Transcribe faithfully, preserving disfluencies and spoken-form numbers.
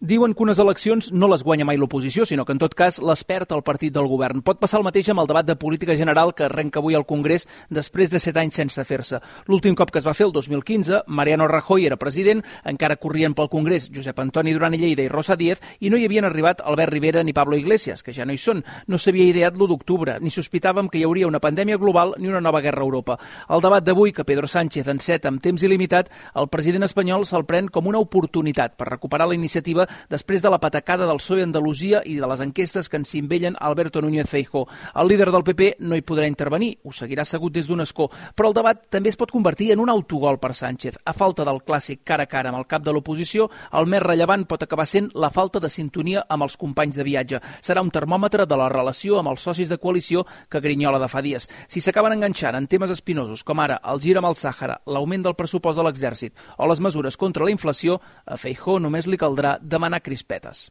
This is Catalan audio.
Diuen que unes eleccions no les guanya mai l'oposició, sinó que en tot cas les perd el partit del govern. Pot passar el mateix amb el debat de política general que arrenca avui al Congrés després de set anys sense fer-se. L'últim cop que es va fer, el dos mil quinze, Mariano Rajoy era president, encara corrien pel Congrés Josep Antoni Duran i Lleida i Rosa Díez, i no hi havien arribat Albert Rivera ni Pablo Iglesias, que ja no hi són. No s'havia ideat l'u d'octubre, ni sospitàvem que hi hauria una pandèmia global ni una nova guerra a Europa. El debat d'avui, que Pedro Sánchez enceta amb temps il·limitat, el president espanyol se'l pren com una oportunitat per recuperar la iniciativa després de la patacada del P S O E a Andalusia i de les enquestes que ens invellen Alberto Núñez Feijóo. El líder del P P no hi podrà intervenir, ho seguirà assegut des d'un escó, però el debat també es pot convertir en un autogol per Sánchez. A falta del clàssic cara a cara amb el cap de l'oposició, el més rellevant pot acabar sent la falta de sintonia amb els companys de viatge. Serà un termòmetre de la relació amb els socis de coalició que grinyola de fa dies. Si s'acaben enganxant en temes espinosos, com ara el gir amb el Sàhara, l'augment del pressupost de l'exèrcit o les mesures contra la inflació, a Feijóo només li caldrà demanar crispetes.